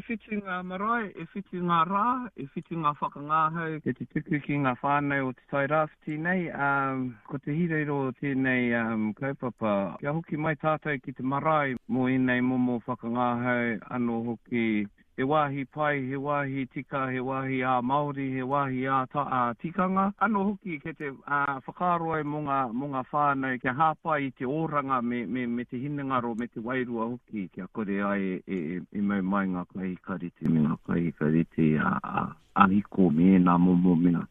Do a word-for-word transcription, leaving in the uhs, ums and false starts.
E whitu ngā marae, e whitu ngā rā, e whitu ngā whakangahau kei te tuku ki ngā whānau o Te Tairāwhiti nei. Um, ko te hirahira o tēnei um, kaupapa, kia hoki mai tātou ki te marae mō ēnei momo whakangahau anō hoki. He wāhi pai, he wāhi tika, he wāhi ā-Māori, he wāhi ā-tikanga. Anō hoki kei te whakaaro au mō ngā, mō ngā whānau kia hāpai i te oranga me, me, me te hinengaro, me te wairua hoki kia kore ai e, e, e mau mai ngā kai hikareti me ngā kai hikareti ā-hiko me ēnā momo mea.